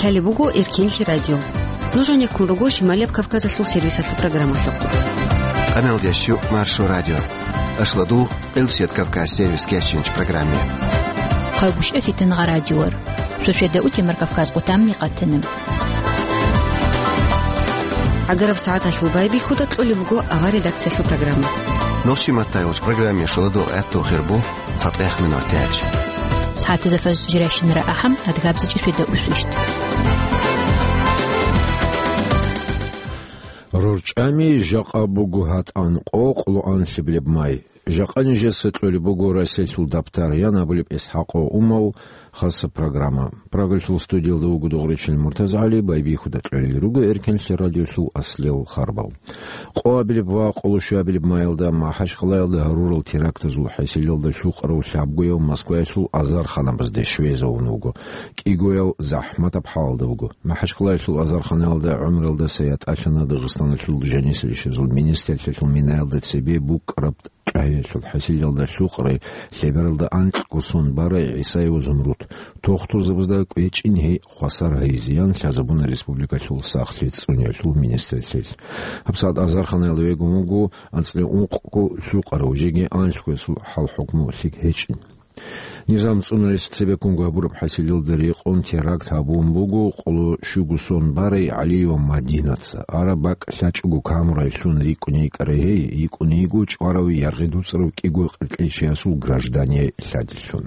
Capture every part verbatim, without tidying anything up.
Лъалеб буго Эркенлъи радио. Нуж гьанеккун руго Шималияб Кавказалъул сервисалъул программалъухъ. Къаналдияс щу Маршо радио. Ашладул, Къилсият Кавказ сервис кечинч программе. Хъайбушев Фитингъа радиор. Суседа утемар Кавказ къутамни къатана. ГӀагараб сагӀаталъул байбихьуда кьолеб буго авар редакциялъул программа. Нохчи маттайолч программе шуладул гӀатту хирбу. Цадахъ минор тяч. СагӀатазда фаз жиращинара ахӀам, адгабзичӀи светда усвищт. РорчӀами жакъа буго гьатӀан къокъ луан лъиблеб май. Жакъа нижеца кьолеб буго Расилъул дабтар ян абулеб ИсхӀакъов Умал хаса программа. Прагалъул студиялда вуго Дугъричил МуртазагӀали, байбихьуда кьолел руго Эркенлъи радиолъул аслел харбал. Къоабилеб ва къолошуабилеб маялда МахӀачхъалаялда гьарурал терактазул хӀасилалда лъукъарав лъабгояв Москваялъул азарханабазде щвезавун вуго, кӀигояв захӀматаб хӀалалда вуго. МахӀачхъалаялъул азарханаялда гӀумралдаса ятӀалъана Дагъистаналъул жанисел ишазул министрлъиялъул минаялда цебе букӀараб кьвагьиялъул хӀасилалда лъукъарай лъебералда анкьго сон барай ГӀисаева Зумруд. Тухтурзабазда кӀвечӀин гьей хвасар гьайизеян лъазабуна республикалъул сахлъи цӀуниялъул министрлъиялъ. ГьабсагӀат азарханаялда вегун вуго анцӀила ункъго лъукъарав, жеги анлъго ясул хӀал-хӀукму лъикӀ гьечӀин. Низам цӀунулес цебеккунго гьабураб хӀасилалда рекъон теракт гьабун буго къоло щуго сон барай ГӀалиева Мадинаца. Араб бакӀ лъачӀого камурай лъун рикӀкӀуней йикӀарай гьей, йикӀуней йиго чӀварави яргъи дуцӀарав кӀиго къеркьей чиясул граждание лъадилъун.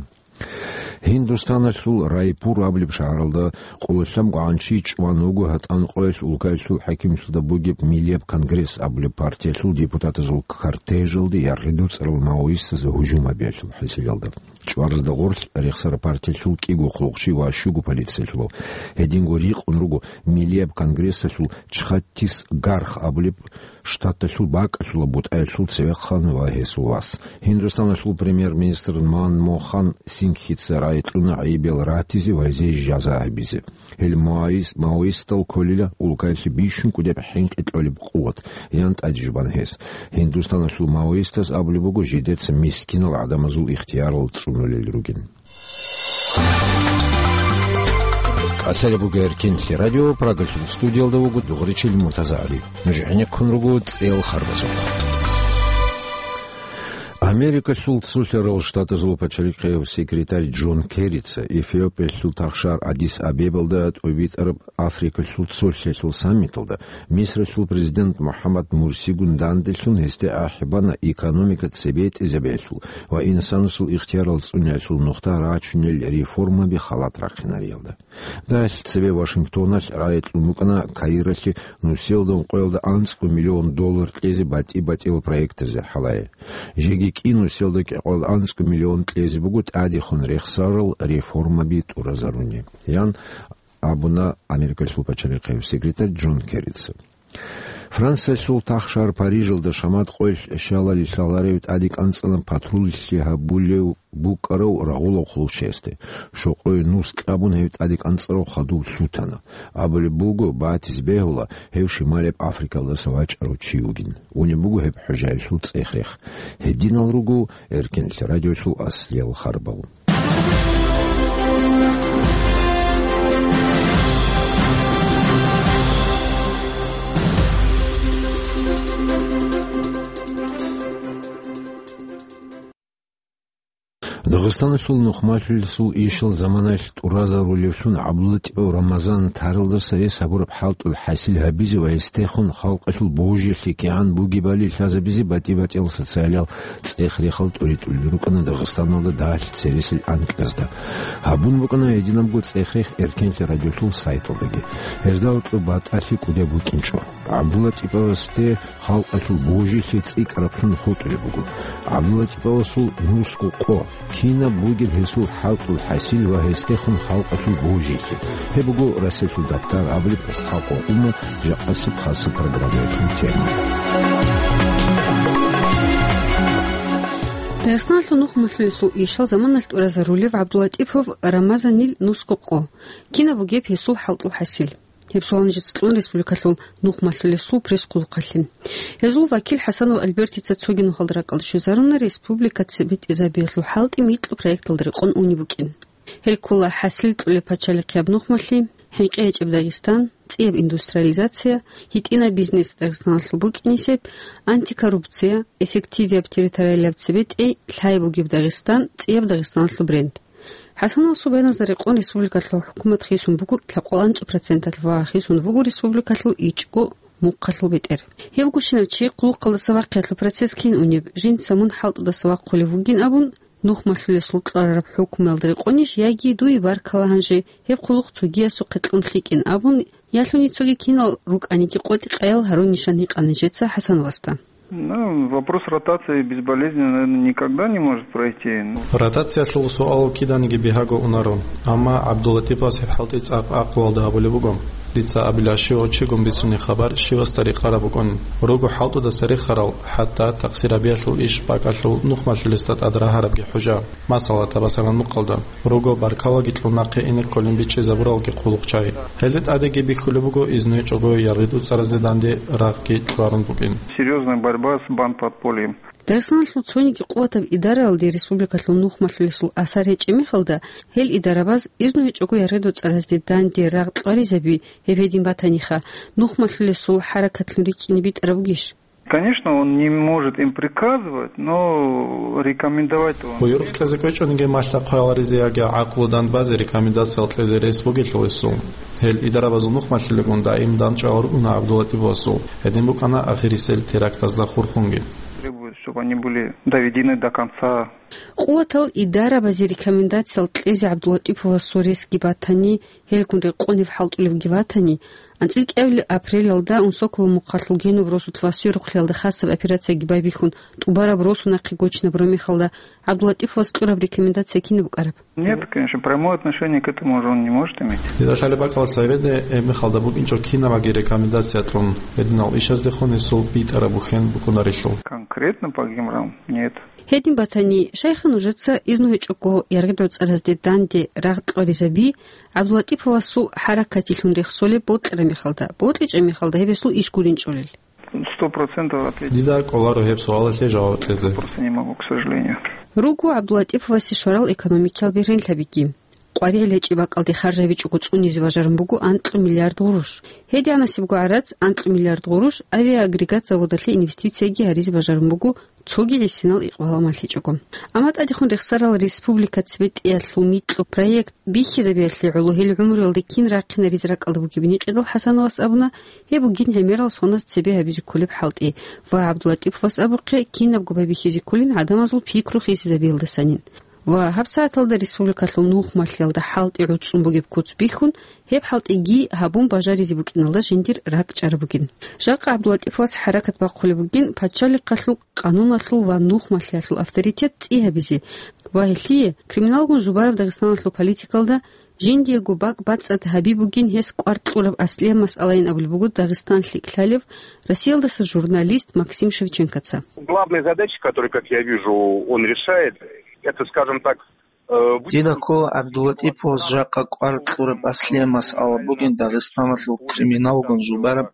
Гьиндустаналъул Райпур абулеб шагьаралда къоло лъабгогӀан чи чӀван вуго гьатӀан къоялъ улкаялъул хӀакимлъиялда бугеб Миллияб конгресс абулеб партиялъул депутатазул кортежалде яргъи дуцӀарал маоистазе гьужум гьабиялъул хӀасилалда. ЧӀваразда гъорлъ рехсараб партиялъул кӀиго хъулухъчи ва щуго полициялъулав. Гьединго рикъун руго Миллияб конгрессалъул Чхаттисгарх абулеб штаталъул бакӀалъула бутӀаялъул цевехъан ва гьесул вас. Гьиндустаналъул премьер-министр Манмохан Сингхица рагӀи кьуна гӀайибал ратизе ва гьезие жаза гьабизе. Гьел маоис-, маоистал кколила улкаялъе бищун кӀудеб хӀинкъи кьолеб къуват, ян тӀаде жубан гьес. Гьиндустаналъул маоистаз абулеб буго жидеца мискинал гӀадамазул ихтиярал цӀунулел ругин. КӀалъалеб буго Эркенлъи радио, Прагалъул студиялда вуго Дугъричил МуртазагӀали. Нуж гӀенеккун руго цӀел харбазухъ. Америкалъул цолъарал штатазул пачалихъияв секретарь Джон Керрица Эфиопиялъул тахшар Адис-Абебалда тӀубитӀараб Африкалъул цолъиялъул саммиталда Мисралъул президент МухӀаммад Мурсигун данделъун гьесде ахӀи бана экономика цебетӀезабиялъул ва инсанасул ихтиярал цӀуниялъул нухда рачунел реформаби халат рахъинариялда. Далъ цебе Вашингтоналъ рагӀи кьун букӀана Каиралъе нусиялда ункъоялда анцӀго миллион доллар кьезе батӀи-батӀиял проектазе хӀалае. Жеги кӀи нусиялда кӀикъоялда анцӀго миллион кьезе буго тӀадехун рехсарал реформаби тӀуразаруни, ян абуна Америкалъул пачалихъияв секретарь Джон Керрица. Франциялъул тахшар Парижалда шамат къоялъ щалали лъаларев тӀаде кӀанцӀана патруллъи гьабулев букӀарав рагъулав хъулухъчиясде. Щокъое нус кьабун гьев тӀаде кӀанцӀарав хадув лъутана. Абулеб буго, батизе бегьула, гьев Шималияб Африкалдаса вачӀарав чи вугин. Унеб буго гьеб хӀужаялъул цӀех-рех. Гьединал руго Эркенлъи радиолъул аслиял харбал. Дагъистаналъул нухмалъулесул ишал заманалъ тӀуразарулевлъун ГӀабдуллатӀипов Рамазан таралдаса гьес гьабураб хӀалтӀул хӀасил гьабизе ва гьесдехун халкъалъул божилъи кигӀан бугебали лъазабизе батӀи-батӀиял социалиял цӀех-рехал тӀуритӀулел рукӀана Дагъистаналда дагьалъ цересел анкьазда. Гьабун букӀана гьединабго цӀех-рех Эркенлъи радиолъул сайталдаги. Гьезда гьоркьоб батӀалъи кӀудияб букӀинчӀо. ГӀабдуллатӀиповасде халкъалъул божилъи цӀикӀкӀараблъун хутӀулеб буго. ГӀабдуллатӀиповасул нусго къо, кинаб бугеб гьесул хӀалтӀул хӀасил ва гьесдехун халкъалъул божилъи. Гьеб буго Расилъул дабтар абулеб ИсхӀакъов Умал жакъасеб хасаб программаялъул тема. Дагъистаналъул нухмалъулесул ишал заманалъ тӀуразарулев ГӀабдуллатӀипов Рамазанил нусго къо, кинаб бугеб гьесул хӀалтӀул хӀасил? Гьеб суал нижеца кьун республикалъул нухмалъулесул пресс-хъулухъалъе. Гьезул вакил ХӀасанов Альбертица цоги нухалда ракӀалде щвезаруна республика цебетӀезабиялъул хӀалтӀи микьго проекталда рекъон унеб букӀин. Гьел ккола хӀасил кьолеб пачалихъияб нухмалъи, хӀинкъи гьечӀеб Дагъистан, цӀияб индустриализация, гьитӀинаб бизнес Дагъистаналъул букӀинисеб, антикоррупция, эффективияб территориалияб цебетӀей, лъай бугеб Дагъистан, цӀияб Дагъистаналъул бренд. ХӀасановасул баяназда рекъон республикалъул хӀукумат хисун буго лъабкъоялда анцӀго проценталъ ва хисун вуго республикалъул ичӀго мухъалъул бетӀер. Гьев гущинав чи хъулухъалдаса вахъиялъул процесс кин унеб, жинца мун хӀалтӀудаса вахъулев вугин абун, нухмалъулесул кьварараб хӀукмуялда рекъонищ яги дуе баркала гьанже, гьеб хъулухъ цогиясухъе кьун лъикӀин абун, ялъуни цоги кинал рукӀаниги къотӀи-къаял гьарун нижеца гьикъана нижеца ХӀасановасда. Ну, вопрос ротации безболезненно, наверное, никогда не может пройти. Ротациялъул суал киданиги бигьаго унаро, амма ГӀабдуллатӀиповас гьеб хӀалтӀи цӀакъ гӀакълуялда гьабулеб буго. Дица абила, щивав чигун бицунеб хабар щивасда рекъараб букӀин. Руго хӀалтӀудаса рехарал, хӀатта такъсир гьабиялъул иш бакӀалъул нухмалъулесда тӀад рагьарабги хӀужа. Масала, Табасаран мухъалда. Руго баркалаги кьун нахъе ине кколин бичӀчӀизабуралги хъулухъчагӀи. Гьелде тӀадеги бихьулеб буго изну гьечӀого яргъи дуцӀаразде данде рагъги кьварун букӀин. Серьёзная борьба с бандподпольем. Дагъистаналъул цониги къуватаб идараялде республикалъул нухмалъулесул асар гьечӀеб мехалда, гьел идарабаз изну гьечӀого яргъи дуцӀаразде данде рагъ кьваризаби гьеб гьедин батаниха, нухмалъулесул хӀаракатлъун рикӀкӀине битӀараб бугищ? Конечно, он не может им приказывать, но рекомендовать он. Буюрухъ кьезе кӀвечӀониги малъа хъваяларизе яги гӀакълу дандбазе рекомендациял кьезе рес бугелъул гьесул. Гьел идарабазул нухмалъилагун даим дандчӀвагӀал ругьуна ГӀабдуллатӀиповасул. Гьедин букӀана ахирисел терактазда хурхунги. Требует, чтобы они были доведены до конца. Къуватал идарабазе рекомендациял кьезе ГӀабдуллатӀиповасул ресги батани, гьелгун рекъонеб хӀалтӀулебги батани, анцӀила кӀиабилеб апрелалда Унсоколо мухъалъул Генуб росулъ ва Сверухълъиялда хасаб операцияги байбихьун, тӀубараб росу нахъе гочинабураб мехалда, ГӀабдуллатӀиповас кьураб рекомендация кинаб букӀараб? Нет, конечно, прямое отношение к этому уже он не может иметь. Дида лъалеб бакӀалда цеведе гьеб мехалда букӀинчӀо кинабаги рекомендация кьун, гьединал ишаздехун гьесул битӀараб бухьен букӀунарелъул. Конкретно по Гемрам нет. Гьедин батани, щайха нужеца изну гьечӀого яргъи дуцӀаразде данде рагъ кьваризаби, ГӀабдуллатӀиповасул хӀаракатилъун рехсолеб бокьараб мехалда, бокьичӀеб мехалда гьеб гьесул иш гуринчӀолел? Сто процентов ответить. Дида кӀоларо гьеб суалалъе жаваб кьезе. Просто не могу, к сожалению. Руго ГӀабдуллатӀиповасе щварал экономикиял бергьенлъабиги. КъваригӀел гьечӀеб бакӀалде харж гьабичӀого цӀунизе бажарун буго анкьа миллиард гъурущ. ГьедигӀанасебго гӀарац, анкьа миллиард гъурущ, авиаагрегат заводалъе инвестицияги гьаризе бажарун буго, цоги гӀисинал икъбал-амал гьечӀого. Амма тӀадехун рехсарал республика цебетӀеялъул микьго проект бихьизабиялъе гӀоло гьел гӀумруялде кин рахъинаризе ракӀалда бугебин гьикъидал ХӀасановас абуна, гьеб бугин гӀемерал соназ цебе гьабизе кколеб хӀалтӀи ва ГӀабдуллатӀиповас абухъе, кинабго байбихьизе кколин гӀадамазул пикру хисизабиялдасанин. Ва гьабсагӀаталда республикалъул нухмалъиялда хӀалтӀи гӀуцӀун бугеб куц бихьун, гьеб хӀалтӀиги гьабун бажаризе букӀиналда жиндир ракӀчӀараб бугин. Жакъа ГӀабдуллатӀиповас хӀаракат бахъулеб бугин пачалихъалъул, къануналъул ва нухмалъиялъул авторитет цӀи гьабизе ва гьелъие криминалгун жубараб Дагъистаналъул политикалда жиндиего бакӀ бацӀцӀад гьаби бугин гьес кӀвар кьураб аслияб масъалайин абулеб буго Дагъистан лъикӀлъалев, Россиялдаса журналист Максим Шевченкоца. Главная задача, которую, как я вижу, он решает, это, скажем так, Дида ккола ГӀабдуллатӀиповас жакъа кӀвар кьураб аслияб масъала бугин Дагъистаналъул криминалгун жубараб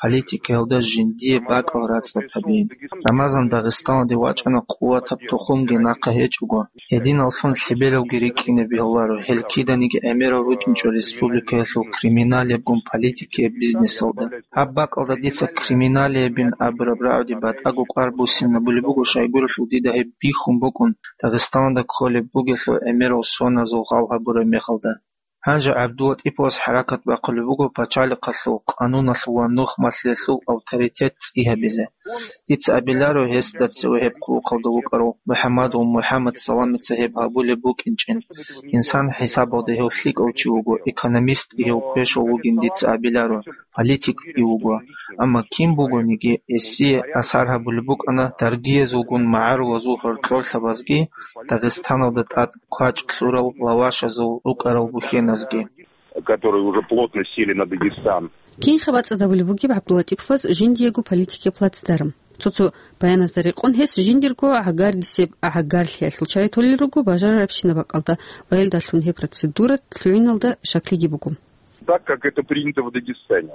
политикаялда жиндие бакӀал рацӀцӀад гьабиин. Рамазан Дагъистаналде вачӀана къуватаб тухумги нахъа гьечӀого. Гьединаллъун лъебералги рикӀкӀине бегьуларо гьел киданиги гӀемерал рукӀинчӀо республикаялъул криминалиябгун политикияб бизнесалда. Гьаб бакӀалда дица криминалиябин абураб рагӀуде батӀаго кӀвар буссинабулеб буго, щайгурелъул дида гьеб бихьун букӀун, Дагъистаналда кколеб бугелъул гӀемерал соназул гъал гьабураб мехалда. Гьанже ГӀабдуллатӀиповас хӀаракат бахъулеб буго пачалихъалъул, къануналъул ва нухмалъиялъул авторитет цӀи гьабизе. Дица абиларо гьесда цеве гьеб хъулухъалда вукӀарав МухӀаммадов МухӀаммад Саламица гьеб гьабулеб букӀинчӀин. Инсан хӀисабалда гьев лъикӀав чи вуго, экономист гьев квешав вугин дица абиларо, политик и вуго. Амма кин бугониги, гьесие асар гьабулеб букӀана даргиязулгун магӀарулазул гьоркьорлъабазги, Дагъистаналда тӀад квачӀ кьурал лавашазул рукӀарал бухьеназги. Которые уже плотно сели на Дагестан. Кинха бацӀцӀад гьабулеб бугеб ГӀабдуллатӀиповас жиндиего политикияб плацдарм? Цо-цо баяназда рекъон гьес жиндирго гӀагардисеб гӀагарлъиялъул чагӀи толел руго бажарарабщинаб бакӀалда ва гьелдалъун гьеб процедура лъугӀиналда щаклъиги буго. Так, как это принято в Дагестане.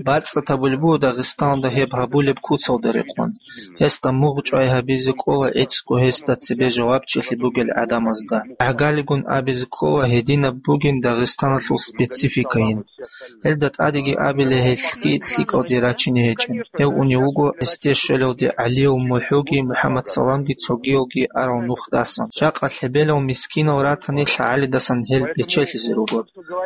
БацӀцӀад гьабулеб буго Дагъистаналда гьеб гьабулеб куцалда рекъон. Гьесда мугъчӀвай гьабизе кӀола гӀицӀго гьесда цебе жавабчилъи бугел гӀадамазда. ГӀагалигун абизе кӀола гьединаб бугин Дагъистаналъул спецификайин. Гьелда тӀадеги абила гьелъги лъикӀалде рачине гьечӀин. Гьев унев вуго гьесде щвелалде ГӀалиев МухӀуги МухӀаммад Саламги цогиялги арал нухдасан. Жакъа лъебелал мискинал ратани лъагӀалидасан гьел бечелъизе руго.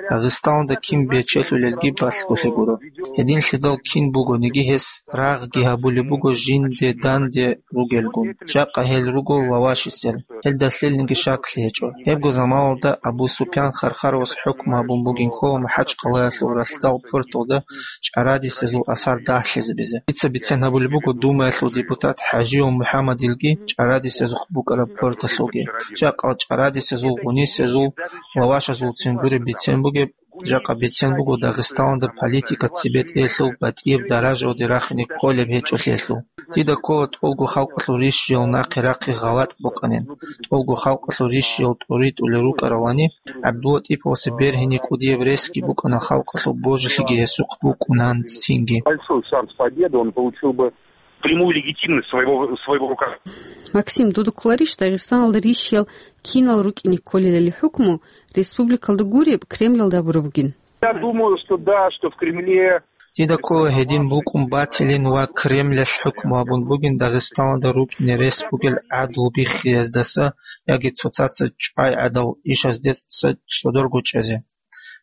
Дагъистаналда кин бечелъулелги балъголъи гуро. Гьединлъидал кин бугониги гьес рагъги гьабулеб буго жинде данде ругелгун. Жакъа гьел руго вавашисел. Гьелда лъилниги шаклъи гьечӀо. Гьебго заманалда Абу Супян Хархаровас хӀукму гьабун бугин ккола МахӀачхъалаялъул ралъдал порталда чӀарадисезул асар дагьлъизабизе. Дица бицен гьабулеб буго Думаялъул депутат ХӀажияв МухӀаммадилги чӀарадисезухъ букӀараб порталъулги. Жакъа чӀарадисезул, гъунисезул ва вашазулцин гуреб бицен бугеб, жакъа бицен буго Дагъистаналда политика цебетӀеялъул батӀияб даражаялде рахине кколеб гьечӀолъиялъул. Дида ккола тӀолго халкъалъул рищиял нахъе-рахъе гъалатӀ букӀанин. ТӀолго халкъалъул рищиял тӀоритӀулел рукӀаравани, ГӀабдулатӀиповасе бергьине кӀудияб ресги букӀана халкъалъул божилъиги гьесухъ букӀунан цинги. Большой шанс победы, он получил бы прямую легитимность в своего, в своего руках. Максим, дуда кколарищ Дагъистаналда рищиял кинал рукӀине кколелали хӀукму республикалда гуреб Кремлалда гьабураб бугин? Я думаю, что да, что в Кремле. Дида ккола гьедин букӀун батилин ва Кремлалъ хӀукму гьабун бугин Дагъистаналда рукӀине рес бугел гӀадлу биххиездаса яги цоцаца чӀвай гӀадал ишаздеца цӀодорго чӀезе.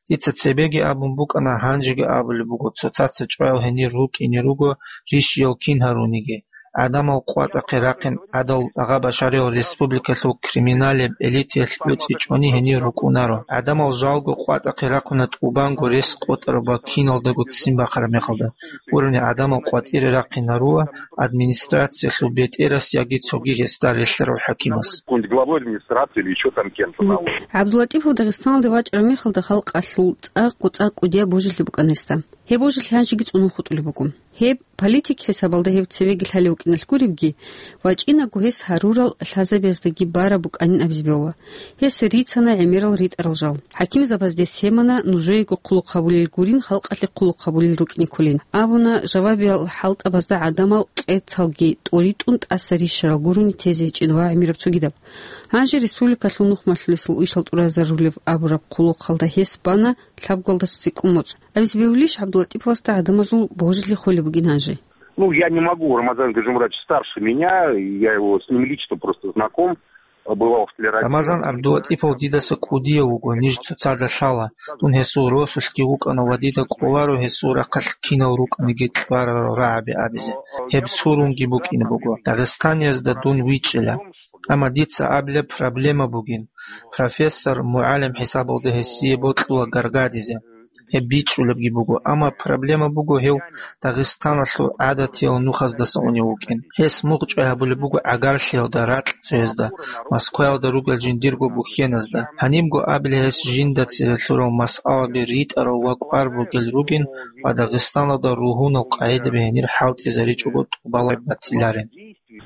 Дица цебеги абун букӀана, гьанжеги абулеб буго, цоцаца чӀваял гьенир рукӀине руго рищиял кин гьаруниги. ГӀадамал къватӀахъе рахъин гӀадал агъа башариял республикалъул криминалеб элитаялъ уцӀичӀони гьенир рукӀунаро. ГӀадамал жалго къватӀахъе рахъуна тӀубанго рес къотӀараб ва киналдаго ццин бахъараб мехалда. Гурони гӀадамал къватӀире рахъинарула администрациялъул бетӀерас яги цоги гьесда релълъарав хӀакимас. Какой-нибудь главой администрации или ещё там кем-то на уровне. ГӀабдулатӀипов Дагъистаналде вачӀараб мехалда халкъалъул цӀакъ-цӀакъ кӀудияб божилъи букӀана гьесда. Гьеб божилъи гьанжеги цӀунун хутӀулеб буго. Гьеб политик хӀисабалда гьев цевеги лъалев вукӀиналъ гуребги, вачӀинабго гьес гьарурал лъазабияздаги бараб букӀанин абизе бегьула. Гьес рицана гӀемерал ритӀарал жал. ХӀакимзабазде семана нужеего хъулухъ гьабулел гурин халкъалъе хъулухъ гьабулел рукӀине кколин. Абуна, жавабиял хӀалтӀабазда гӀадамал къецалги тӀоритӀун тӀаса рищарал гурони тезе гьечӀин ва гӀемераб цогидаб. Гьанже республикалъул нухмалъулесул ишал тӀуразарулев абураб хъулухъалда гьес бана лъабголдаса цӀикӀкӀун моцӀ. Абизе бегьулищ, ГӀабдулатӀиповасда гӀадамазул божилъи холеб бугин гьанже? Ну, я не могу, Рамазан Гаджимурадович старше меня, я его, с ним лично просто знаком, бывал в Телерадио. Рамазан ГӀабдулатӀипов дидаса кӀудияв вуго, ниж цоцазда лъала. Дун гьесул росулъги вукӀана ва дида кӀоларо гьесул рахъалъ кинал рукӀаниги кьварарал рагӀаби абизе. Гьеб сурунги букӀине буго. Дагъистаниязда дун вичӀчӀила. Амма дица абилеб проблема бугин. Профессор, мугӀалим хӀисабалда гьесие бокьула гаргадизе. Гьеб бичӀчӀулебги буго, амма проблема буго гьев Дагъистаналъул гӀадатиял нухаздаса унев вукӀин. Гьес мугъчӀвай гьабулеб буго гӀагарлъиялда, ракьцоязда, Москваялда ругел жиндирго бухьеназда. Гьанибго абилеб гьес жинда цере лъурал масъалаби ритӀарал ва кӀвар бугел ругин ва Дагъистаналда ругьунал къагӀидаби гьенир хӀалтӀизаричӀого тӀубалай батиларин.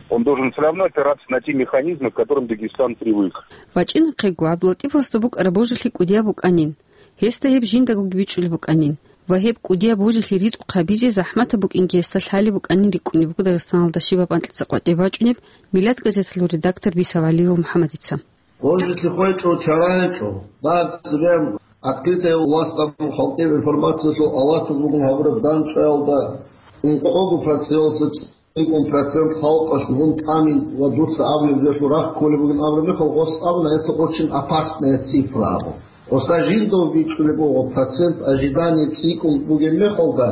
Он должен всё равно опираться на те механизмы, к которым Дагестан привык. ВачӀинахъего ГӀабдулатӀиповасда букӀараб божилъи кӀудияб букӀанин. Гьесда гьеб жиндагоги бичӀчӀулеб букӀанин ва гьеб кӀудияб божилъи ритӀухъ гьабизе захӀматаб букӀинги гьесда лъалеб букӀанин рикӀкӀунеб буго Дагъистаналда щибаб анкьица къватӀиб бачӀунеб Миллат газеталъул редактор Бисав ГӀалиев МухӀаммадица. Божилъи хвечӀо, чара гьечӀо. Дагь цебе открытая власть абун халкъе информациялъул алатаз бугун гьабураб дандчӀваялда ункъого проценталъ цӀикӀкӀун процент халкъалъ гъун тӀамин ва дуца абулеб жоялъул рахъ кколеб бугин абураб мехалъ, гъос абуна, это очень опасная цифра абун. Гъосда жинда бичӀчӀулеб буго процент ожидания цӀикӀкӀун бугеб мехалда,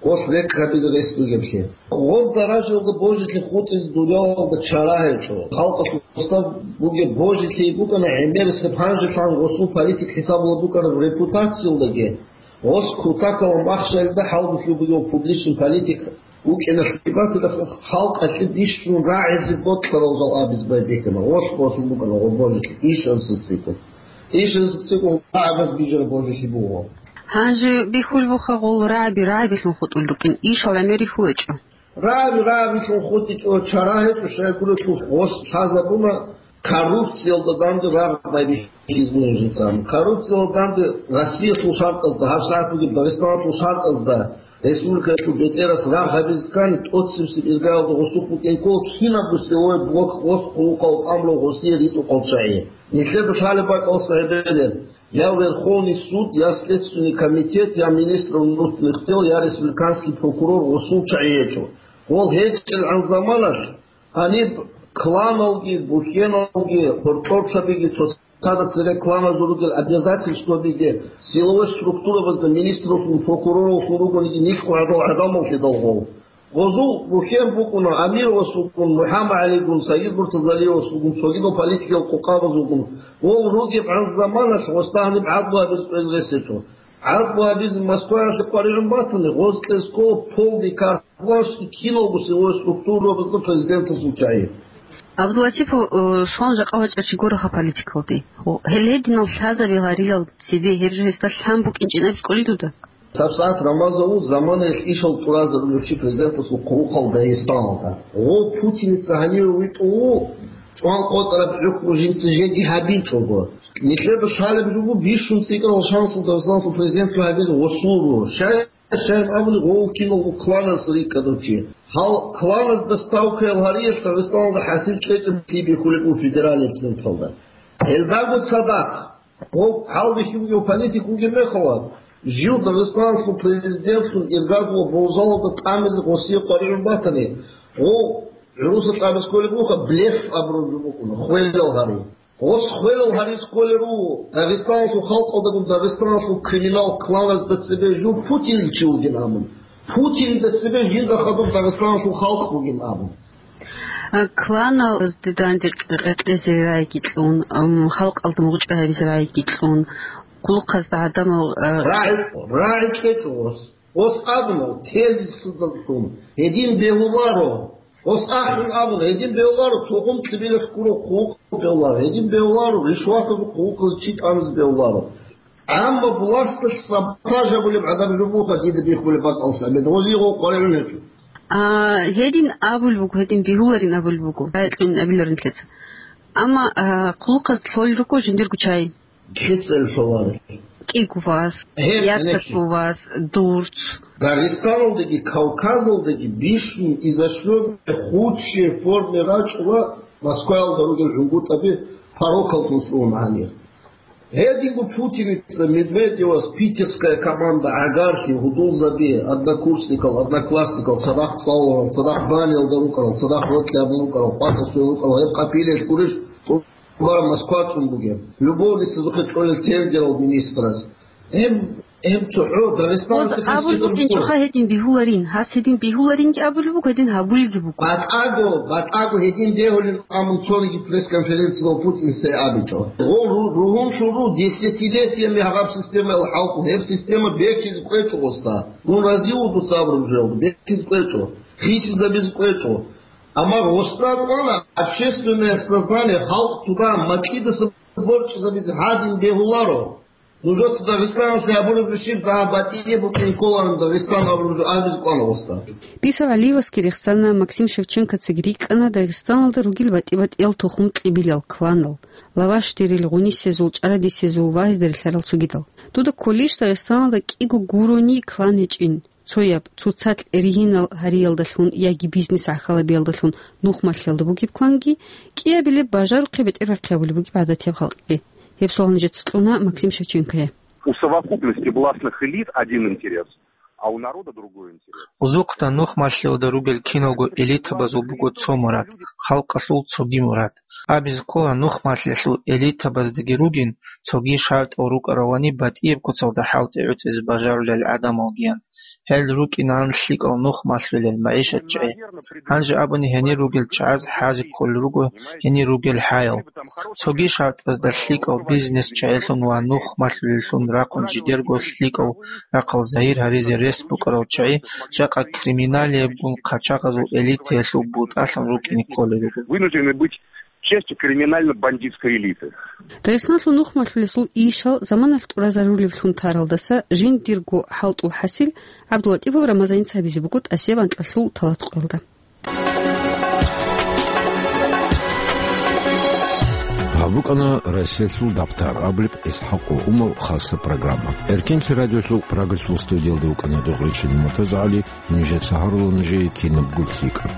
гъос рекъ гьабизе рес бугеблъи. Гъоб даражаялда божилъи хутӀизе дуниялалда чара гьечӀо. Халкъалъ гъосда бугеб божилъи букӀана гӀемерисеб, гьанжелъан гъосул политик хӀисабалда букӀараб репутациялдаги, гъос кутакалда махщалида хӀалбулъи бугев публичный политик вукӀиналъе батила халкъалъе бищун рагӀизе бокьарал жал абизе байбихьана. Гъос босун букӀана гъоб божилъи ишазе цӀикӀкӀун. Ишазе цӀикӀкӀун рагӀабаз бижараб божилъи буго. Гьанже бихьулеб буха гъол рагӀаби рагӀабилъун хутӀун рукӀин, ишал гӀемер рихьулечӀо. РагӀаби рагӀабилъун хутӀичӀо, чара гьечӀо, щайгурелъул гъос лъазабуна коррупциялда данде рагъ байбихьизабун жинцан. Коррупциялда данде Россиялъул шартӀазда, гьаб сагӀат бугеб Дагъистаналъул шартӀазда Республикаялъул бетӀерас рагъ гьабизе ккани, тӀоцебесеб иргаялда гъосухъ букӀин ккола кинабго силовой блок гъос хъулухъав тӀамулев гъосие ритӀухъав чагӀи. Нилъеда лъалеб бакӀалъ гьеб бе-, я Верховный суд, я Следственный комитет, я министр внутренних дел, я республиканский прокурор гъосул чагӀи гьечӀо. Гъол гьечӀелгӀан заманалъ гьаниб кланалги, бухьеналги, гьоркьорцабиги, цоцазда цере кланазул ругел обязательствабиги силовой структурабазда министралъун, прокурорлъун ругониги нилъго гӀадал гӀадамал лъидал гъол. Гъозул бухьен букӀуна Амировас вукӀун, МухӀаммадгӀалигун, Саид Муртазалиевас вугун, цогидал политикиял къукъабаз вугун. Гъол ругебгӀан заманалъ гъосда гьаниб гӀадлу гьабизе кӀвезе рес гьечӀо. ГӀадлу гьабизе Москваялъе къваригӀун батани, гъоз кьезго полный карт-бланш киналго силовой структурабазда президентасул чагӀи. ГӀабдулатипов, э, щван жакъа вачӀа чи гуроха политикалде. Гьел гьединал лъазабил гьариял цебе гьеб жо гьесда лъан букӀинчӀин абизе кӀолей дуда? ТӀабсагӀат Рамазанов заманаялъ ишал тӀуразарулев чи президентасул хъулухъал Дагъистаналда. Гъов Путиница гьаниве витӀун ву, чӀван къотӀараб хӀукму жинца жеги гьабичӀого. Нилъеда лъалеб жо буго бищун цӀикӀкӀарал шансул Дагъистаналъул президентлъи гьабизе гъосул руго. Щай, щай абуни гъов киналго кланас рикӀкӀадав чи. Гьал кланазда ставкаял гьариялъ Дагъистаналда хӀасил кьечӀеб лъи бихьулеб буго федеральный централда. Гьелдаго цадахъ, гъов гьалбихьи бугев политик вугеб мехалъ, жив Дагъистаналъул президентлъун иргадлъугьа божалда тӀамизе гъосие къваригӀун батани, гъов гӀуруса тӀамизе кколеб буха, блеф абураб жо букӀуна, хвелал гьари. Гъос хвелал гьаризе кколел руго, Дагъистаналъул халкъалдагун Дагъистаналъул криминал кланазда цебе жив Путинил чи вугин абун. Путинда цебе жинда хадуб Дагъистаналъул халкъ бугин абун. А, кланалазде данде къекъезе рагӀиги кьун, ам, халкъалда мугъчӀвай гьабизе рагӀиги кьун, хъулухъазда гӀадамал, а, РагӀи, рагӀи кьечӀо гъос. Гъос абуна, тезисалдалъун, гьедин бегьуларо. Гъос ахӀун абуна, гьедин бегьуларо, цо гъум кьибилалъ гуро хъулухъ бегьуларо, гьедин бегьуларо, ришватазул хъулухъаз чи тӀамизе бегьуларо. Амма власталъ саботаж гьабулеб гӀадаб жо буха дида бихьулеб бакӀалъа, гьеб гъозие гъов къваригӀун гьечӀо. А, гьедин абулеб буго, гьедин бегьуларин абулеб буго, гӀайкьин абиларин лъеца. Амма, а, хъулухъаз лъолел руго жиндирго чагӀи. КицӀел лъоларел. КӀиго вас, гьеб яцалъул гьенекки. Вас, дурц. Дагъистаналдаги Кавказалдаги бищун изощрённой худшей форме рачӀула Москваялда ругел гӀунгутӀаби, порокаллъун лъугьун гьанир. Гьединго Путиница Медведевас питерская команда гӀагарлъи, гьудулзаби, однокурсникал, одноклассникал, цадахъ цӀалуларал, цадахъ баниялда рукӀарал, цадахъ рокьи абун рукӀарал, къватӀасул рукӀарал, гьеб къапилелъ гурищ тӀубараб Москва цӀун бугеб, любовницазухъе чӀолел тергерал министраз. Гьеб, гьеб цохӀо Дагъистаналъе абун хӀисаб букӀуна. Гьедин бигьуларин, гьас гьедин бигьуларинги абулеб буго, гьедин гьабулебги буго. БатӀаго, батӀаго гьедин бегьулин абун цониги пресс-конференциялъ Путин цо абичӀо. Гъо ру-, ругьунлъун ру, десятилетиями гьаб системаялъ хӀалкӀун, гьеб система бекизе кӀвечӀо гъосда. Дун разив вуго дуца абураб жоялда, бекизе кӀвечӀо, хисизабизе кӀвечӀо. Амма гъосда кӀвана общественное сознание, халкъ туда макьидаса борчӀизабизе гьадин бегьуларо. Нужеца Дагъистаналъе гьабураб щиб дагьа батӀияб букӀин кколаан Дагъистан абураб жо абизе кӀвана гъосда. БицегӀалиевасги рехсана, Максим Шевченкоцаги рикӀкӀана Дагъистаналда ругел батӀи-батӀиял тухум-кьибилал, кланал, лавашдерил, гъунисезул, чӀарадисезул ва гьезда релълъарал цогидал. Дуда кколищ Дагъистаналда кӀиго гурони клан гьечӀин? Цояб, цоцалъ ригьинал гьариялдалъун яги бизнес гӀахьалабиялдалъун нухмалъиялда бугеб кланги, кӀиабилеб бажарухъе бетӀербахъи гьабулеб бугеб гӀадатияб халкъги? Гьеб суал нижеца кьуна Максим Шевченкое. У совокупности властных элит один интерес, а у народа другой интерес. Узухъда нухмалъиялда ругел киналго элитабазул буго цо мурад, халкъалъул цоги мурад. Абизе ккола, нухмалъиялъул элитабаздаги ругин цоги шартӀал рукӀаравани батӀияб куцалда хӀалтӀи гӀуцӀизе бажарулел гӀадамалгиян. Гьел рукӀинаан лъикӀал нухмалъулел магӀишатчагӀи. Гьанже абуни гьенир ругел чагӀаз хӀазе кколел руго гьенир ругел хӀаял. Цоги шартӀазда лъикӀал бизнесчагӀилъун ва нухмалъулеллъун рахъун жидерго лъикӀал рахъал загьир гьаризе рес букӀарал чагӀи жакъа криминалиябгун хъачагъазул элитаялъул бутӀалъун рукӀине кколел руго. Вынуждены быть частью криминально-бандитской элиты. Дагъистаналъул нухмалъулесул ишал заманалъ тӀуразарулевлъун таралдаса жиндирго хӀалтӀул хӀасил ГӀабдулатӀипов Рамазаница гьабизе буго тӀасияб анкьалъул талат къоялда. БукӀана Расиялъул дабтар абулеб ИсхӀакъ ва Умал хасаб программа. Эркенлъи радиолъул Прагалъул студиялда вукӀана Дугъричил МуртазагӀали, нижеца гьарула нужее кинабго лъикӀаб.